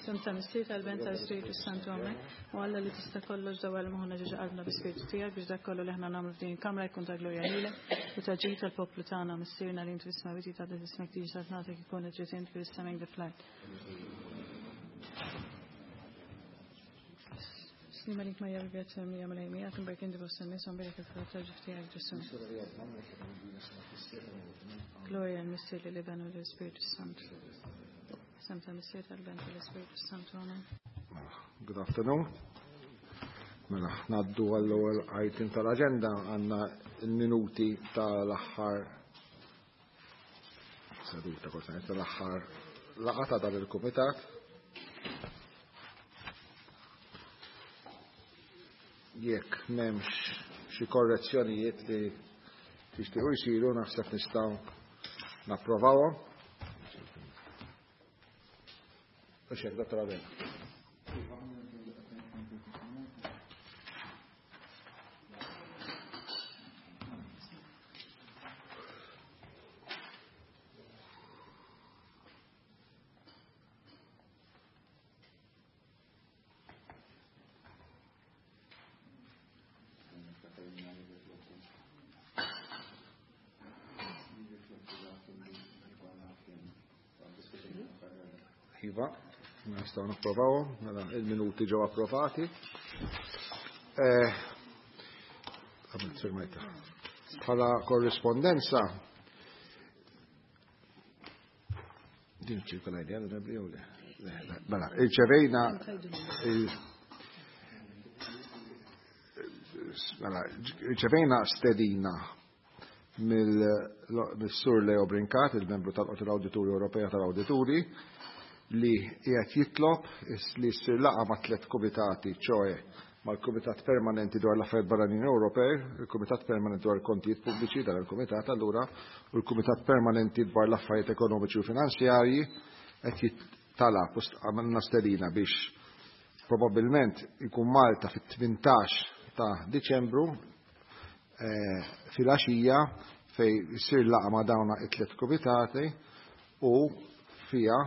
Isem ta' Missier tal-Ben tal-Spiritu Santu Amen. U Alla li tista' kollox dawwal moħħna ġo qalbna bi-Spiritu tiegħek biex dak kollu li aħna nagħmlu f'din il-kamra jkun ta' glorja lilek u ta' ġid tal-poplu tagħna Missierna li int fis-smewwiet jitqaddes ismek tiġi saltnatek ikun id-dritt int fis-sema fl-art. Slima lik Marija bil-grazzja mimlija Mulej miegħek imberk inti fost in-nies u mberek il-frott tal-ġuf tiegħek Ġesù. Glorja l-Missier lill-Iben u lill-Ispirtu Santu. Isem tal-Missier tal-Ben tal-Ispirtu Santu. Amen. Good afternoon. Mela, naddu għall-ewwel item tal-aġenda għandna l-minuti tal-aħħar seduta kont tal-aħħar laqgħa ta' dan il-kumitat. Jekk m'hemmx xi korrezzjonijiet li tixtiequ jsiru naħseb nistgħu napprovawhom. U xek, Dottor Abela. Iva, nistgħu napprovawhom, mela il-minuti ġew approvati. Eh, bħala korrispondenza Din ċirkola idea l-onorevoli jew le? Mela, irċevejna mela, irċevejna stedina mill-Sur Leo Brincat, il-membru tal-Qorti l-Awdituri Ewropea tal-Awdituri, li qiegħed jitlob li ssir laqgħa ma' tliet kumitati, ċoe mal-Kumitat Permanenti dwar l-Affarijiet Barranin Ewropej, il-Kumitat Permanenti dwar il-Kontijiet Pubbliċi dan il-Kumitat allura, u l-Kumitat Permanenti dwar l-Affarijiet Ekonomiċi u Finanzjarji qed jittalab u għamilna stedina biex probabbilment ikun Malta fit-18 ta' Diċembru eh, fil-għaxija fej issir laqa ma' dawna it-tliet kumitati u fija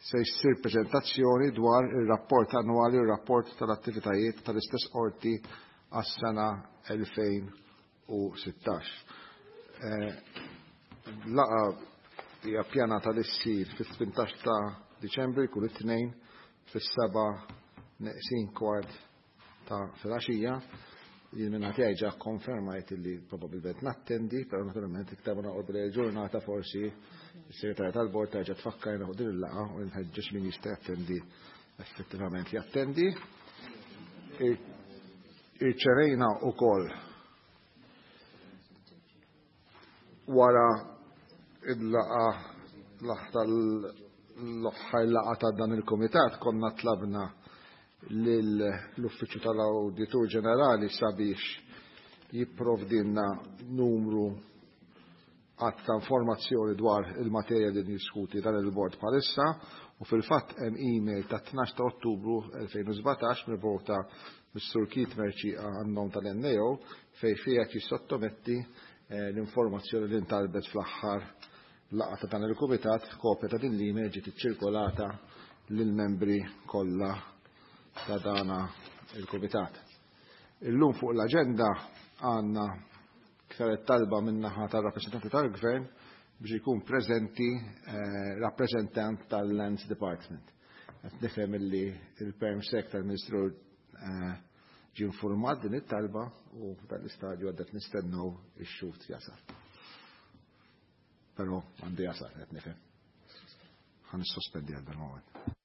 se jsir preżentazzjoni dwar ir-rapport annwali u r-rapport tal-attivitajiet tal-istess qorti għas-sena 2016. Eh, laqa hija pjanata li ssir fit-18 ta' Diċembru jkun it-tnejn fis-seba' neqsin kwart ta' filgħaxija. Jien minn tiegħi ġa konfermajt li probabbilment nattendi, però naturalment iktar ma noqgħod ġurnata forsi is-segretarja tal-bord terġa' tfakkarna fuq din il-laqgħa u nħeġġeġ min jista' jattendi effettivament jattendi. Irċevejna wkoll wara il-laqgħa l-aħħar laqgħa ta' dan il-kumitat konna tlabna lill-Uffiċċju tal-Awditur Ġenerali sabiex jipprovdilna numru għadd ta' informazzjoni dwar il-materja li niddiskuti dan il-bord bħalissa u fil-fatt hemm email ta' 12 ta' Ottubru 2017 mibgħuta mis-Sur Keith Mercieca għan-nom tal-NAO fejn fiha qed jissottometti eh, l-informazzjoni li ntalbet fl-aħħar laqgħa ta' dan il-kumitat, kopja ta' din l-email ġiet iċċirkolata lill-membri kollha ta' dana il-kumitat. Illum fuq l-aġenda għandna saret talba min-naħa tar-rappreżentanti tal-Gvern biex ikun preżenti eh, rappreżentant tal-Lands Department. Qed nifhem illi il-Perm Sec tal-Ministru eh, ġie informat din it-talba u f'dan l-istadju għaddet nistennew ix-xhud jasal. Però għandu jasal qed nifhem. Ħa nissospendi għal dal-moment.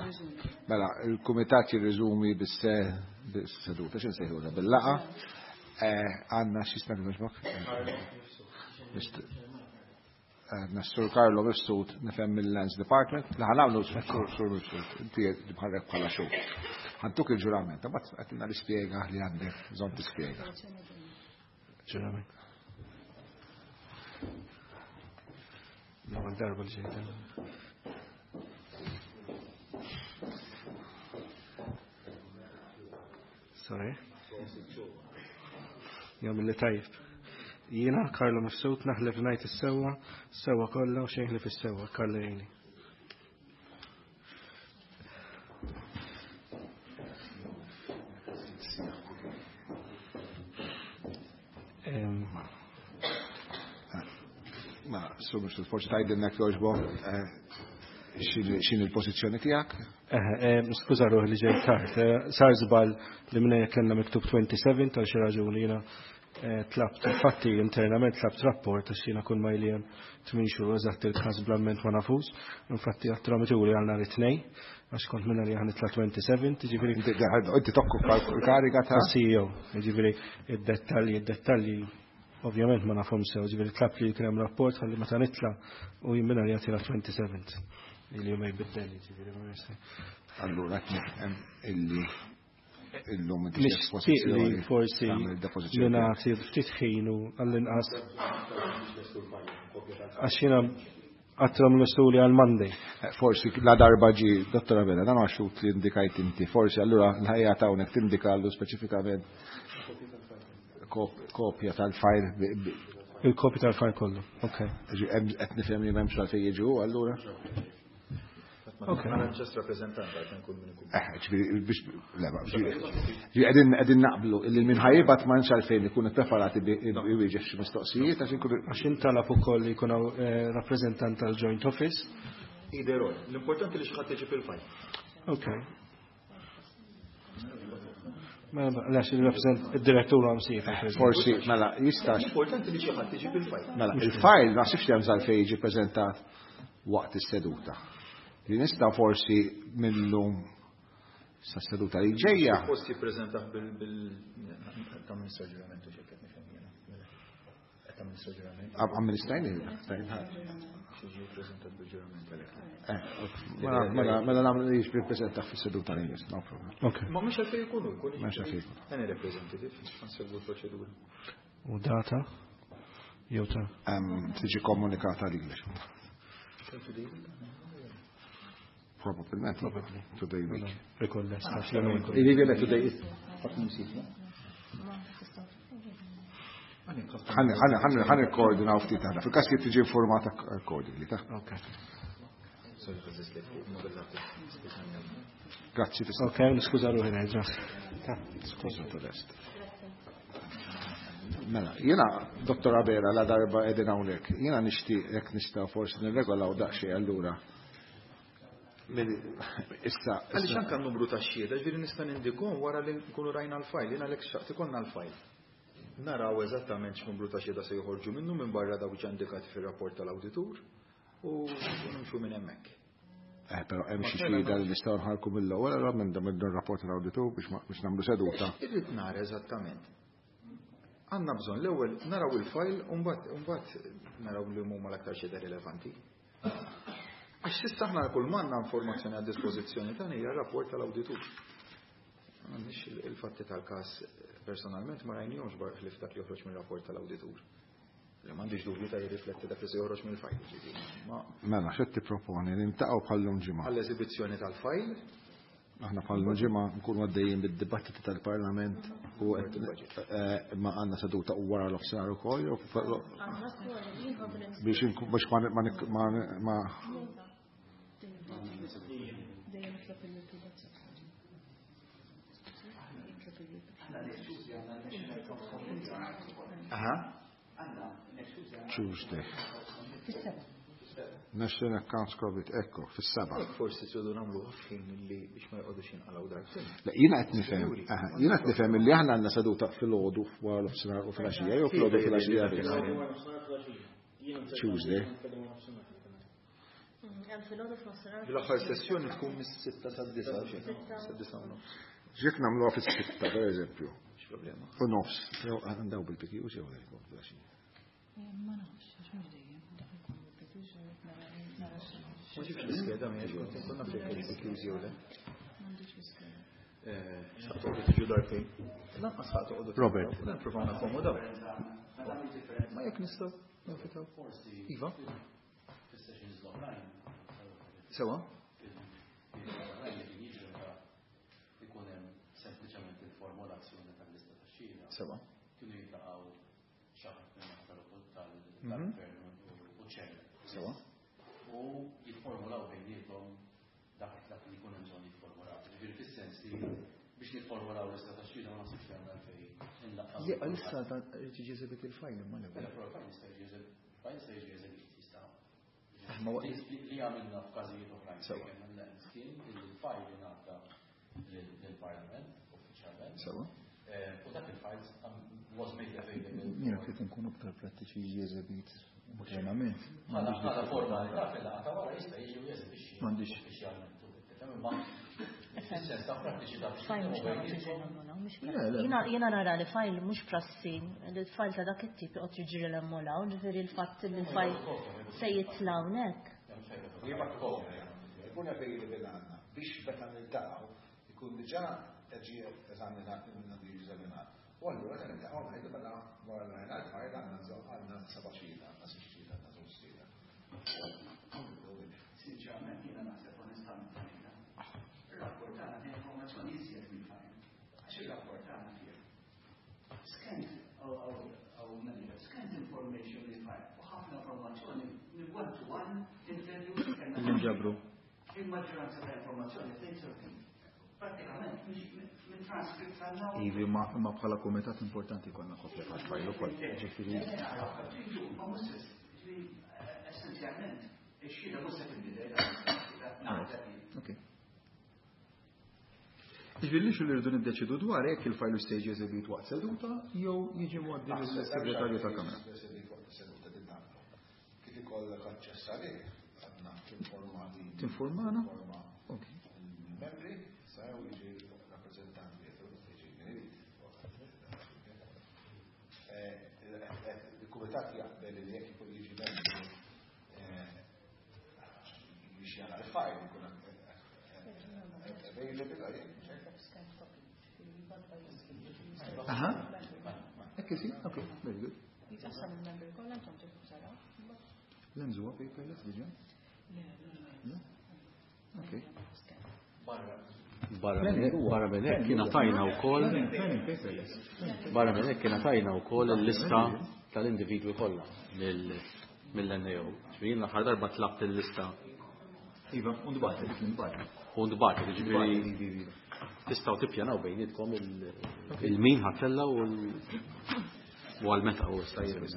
Mela, mela il-kumitat jirriżumi bis-seduta, x'insejħulha bil-laqgħa. Għandna x'jismek jogħġbok? Għandna Sur Carlo Mifsud nifhem mill-Lands Department, li ħa nagħmlu Sur Mifsud, inti bħalek bħala xhur. Ħa ntuk il-ġurament, imbagħad għatina l-ispjega li għandek bżonn tispjega. Ġurament. L-ewwel darba li ġejt. Sorry. Jom li tajb. Jiena Carlo Mifsud naħlef ngħid is-sewwa, sewwa kollha u xejn ħlief is-sewwa, Carlo jgħinni. Ma, Sur Mifsud, forsi tgħidilna jogħġbok x'inhi l-pożizzjoni tiegħek? Skuża ruħi li ġejt tard. Sar żball li minna kellna miktub 27 tal xi raġuni jiena tlabt, infatti internament tlabt rapport għax jiena kull ma jli hemm 8 xhur eżatt il-każ bl-amment ma nafux. Infatti għat-tramituri għal nhar it-Tnejn għax kont minna li ħa nitla' 27, jiġifieri. Inti tokkupa l-kariga ta' CEO, jiġifieri id-dettalji ovvjament ma nafhom sew, ġifieri tlabt li jkun hemm rapport ħalli meta nitla' u jien minna li jagħtina 27 li ma jbiddel, ġifieri ma jista'. Allura qed nifhem illi illum inti Nixtieq li forsi li nagħti ftit ħin u għall-inqas għax jiena għatrom l-istuli għal Monday. Forsi la darba ġi, Dottor Abela, dan għaxut li indikajt inti, forsi allura l-ħajja ta' hawnhekk tindikallu speċifikament kopja tal-fajl. Il-kopja tal-fajl kollu, ok. Qed nifhem li m'hemmx għalfejn jiġu allura. Ok. Ma just rappresentant għal nkun min ikun. Ġifieri biex le, ġifieri qegħdin naqblu illi min ħajbat ma nx għalfejn ikun ippreparati iwieġeb xi mistoqsijiet għax inkunu Għax intalab ukoll li jkun hawn rappreżentant tal-Joint Office. Either or. L-importanti li xi ħadd iġib il-fajl. Ok. Mela, lex il-rappreżent id-direttur għam sifa. Forsi, mela, jistax. Importanti li xi ħadd iġib il-fajl. Mela, il-fajl ma sifx hemm għalfejn jiġi preżentat waqt is-seduta. Li nista' forsi millum sa seduta li ġejja. Post jippreżentah bil tamministra ġuramentu xi qed nifhem jiena. Qed tamministra ġurament. Amministrajni, Xi jippreżentat bil-ġurament għalhekk. Mela, mela nagħmlu li jiġi ppreżentat fis-seduta li jmiss, no problem. Ok. Ma mhux għalfejn ikunu, jkun. Mhux għalfejn ikunu. Any representative, nsegwu l-proċedura. U data? Jew ta' Tiġi komunikata lilek. Probabilment. Probably. Today week. Rikoll lest, għax jien ukoll. Jiġifieri today is Ħa nikkoordinaw ftit aħna. Fil-każ kif tiġi informata accordingly, ta' Ok. Grazzi tista' Ok, niskuża ruħi nerġa'. Skuża tal-est. Mela, jiena Dottor Abela la darba qegħdin hawnhekk, jiena nixtieq jekk nistgħu forsi nirregolaw daqsxejn allura. Issa. Għaliex anke n-numru ta' xhieda, ġifieri nista' nindikom wara li nkunu rajna l-fajl, jiena għalhekk xtaqt ikollna l-fajl. Naraw eżattament x'numru ta' xhieda se joħorġu minnu minn barra dawk ġa indikati fir-rapport tal-awditur u nimxu minn hemmhekk. Però hemm xi xhieda li nistgħu nħarku mill-ewwel allura minn dan ir-rapport tal-awditur biex nagħmlu seduta. Irrid nara eżattament. Għandna bżonn l-ewwel naraw il-fajl u mbagħad naraw li huma l-aktar xhieda rilevanti. Għax s'issa aħna kull m'għandna informazzjoni għad dispożizzjoni tagħna hija r-rapport tal-awditur. M'għandniex il-fatti tal-każ personalment ma rajnihomx barra ħlief dak li joħroġ mir-rapport tal-awditur. Li m'għandix dubju ta' jirrifletti dak li se joħroġ mill-fajl, ġifieri. Ma Mela, x'qed tipproponi li ntaqgħu bħallum ġimgħa? Għall-eżibizzjoni tal-fajl. Aħna bħallum ġimgħa nkunu għaddejjin bid-dibattiti tal-Parlament u qed ma għandna seduta u wara l-ofsinhar ukoll jew biex biex ma ma ma ma Aha. Tuesday. National Accounts Covid, ekko, fis-7. Jekk forsi tridu nagħmlu ħin li biex ma joqogħdux jinqalgħu darbtejn. Le, jiena qed nifhem, aha, jiena qed nifhem illi aħna għandna seduta filgħodu wara l-ofsinhar u filgħaxija, jew filgħodu filgħaxija biss. Tuesday. Hemm filgħodu f'nofsinhar. L-aħħar sessjoni tkun mis-6 sad-9, sad-9:30. Ġiet nagħmluha fis-6 pereżempju. X'problema? U nofs. Jew għandaw bil-PQs jew filgħaxija. Ma nafx, għax mhux dejjem, dak ikun bil-PQs nara Ma ġibx l-iskeda mi għax kont inkun naf jekk il-PQs jew le. M'għandix l-iskeda. Sa toqgħodu tiġu darbtejn. Lanqas ħa toqgħodu. Robert. Nippruvaw nakkomodaw. Ma jekk nistgħu nifitaw. Iva. Sewa? Ikun hemm sempliċement il-formulazzjoni tal-lista tax-xhieda. Sewa. Kienu jiltaqgħu xi ħadd tal-gvern u ċer. Sewa. U jifformulaw bejniethom dak li jkun hemm bżonn jifformulaw. Ġifieri fis-sens li biex nifformulaw lista tax-xhieda ma naħsibx li għandna għalfejn inlaqqgħu. Le, għalissa irid jiġi eżebit il-fajl imma l-ewwel. Però l-fajl jista' jiġi eżebit, fajl jista' jiġi eżebit jista'. Ma waqt li għamilna f'każijiet oħrajn. Sewa. Kien hemm kien il-fajl ingħata lill-Parlament uffiċjalment. Sewa. U dak il-fajl was made available. Jiena trid inkunu aktar prattiċi jiġi eżebit internament. Bħala formalità fil-laqgħa ta' wara jista' jiġi u jeżebixxi M'għandix. uffiċjalment. Imma fis-sens ta' prattiċità biex Fajl mhux nitkellmu nagħmlu bejniethom. tiġri l-emmolaw, mhux Le, le. prassi. Jiena nara li fajl mhux prassi, li l-fajl ta' dak it-tip joqgħod jiġri l-emmolaw, ġifieri l-fatt li l-fajl se jitla' hawnhekk. Ikun available għandna biex meta niltaqgħu ikun diġà ġie eżaminat minn għandu jiġi eżaminat. U allura meta niltaqgħu ngħidu mela wara l-għajna l-fajl għandna bżonn għandna seba' xhieda, għandna sitt xhieda, għandna żewġ xhieda. Sinċerament jiena naħseb onestament għalina. Ir-rapport tagħna fih informazzjoni iżjed mill-fajl. Għax ir-rapport tagħna fih scant scant information mill-fajl u ħafna informazzjoni minn one to one interviews li kellna. Li nġabru. Il-maġġoranza ta' informazzjoni fejn sorti. Pratikament minn transcript għandna. Ivi, ma bħala kumitat importanti jkollna kopja tal-fajl ukoll. Ġifieri. Ma mhux essenzjalment ix-xhieda mhux se tinbidel. Ok. Ġifieri li rridu niddeċidu dwar jekk il-fajl jista' jiġi eżebit waqt seduta jew jiġi mgħoddi lill-segretarju tal-Kamra. Kif ikollok aċċess għalih, għandna tinforma li Tinformana? Tinforma Ok. il-membri, sa jew jiġi rappreżentant li jiġi min irid. Il-kumitat jaqbel li jekk ikun jiġi membru biex jara l-fajl ikun available għalih. Aha. Ekk si, ok, very good. Jitqassam il-membri kollha intom tieħdu taraw. L-emżu huwa paperless diġà? Le, Ok. Barra minn hekk kien tajna wkoll Planning paperless. barra minn hekk kien tajna wkoll il-lista tal-individwi kollha mill-NAO. Ġifieri l-aħħar darba tlabt il-lista Iva, u ndbatet, dik ndbatet. u ndbatet, ġifieri tistgħu tippjanaw bejnietkom il-min ħatella u għal meta u issa jirmis.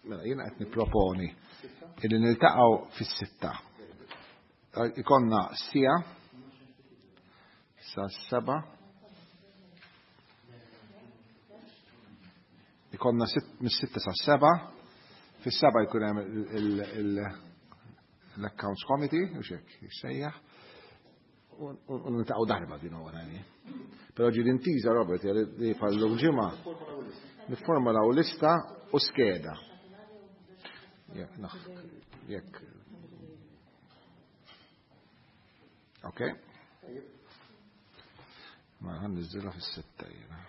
Mela, jiena qed nipproponi illi niltaqgħu fis-6. Ikonna sija sa 7. Ikonna mis-6 sa 7. Fis-7 jkun hemm l-Accounts Committee, u xek, jissejjaħ. U niltaqgħu darba din huwa għani. Però ġi l-intiża, Robert, li bħal-lum ġimgħa nifformulaw lista u skeda. Jekk. Ok? Ma ħan niżilha fis-6 jiena.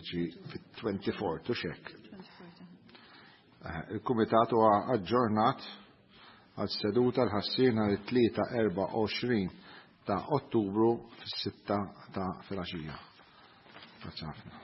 Ġi fit-24, tu xek. Il-Kumitat huwa aġġornat għal seduta l-ħassina li 3-24 ta' Ottubru fis-6 ta' filgħaxija. Grazzi ħafna.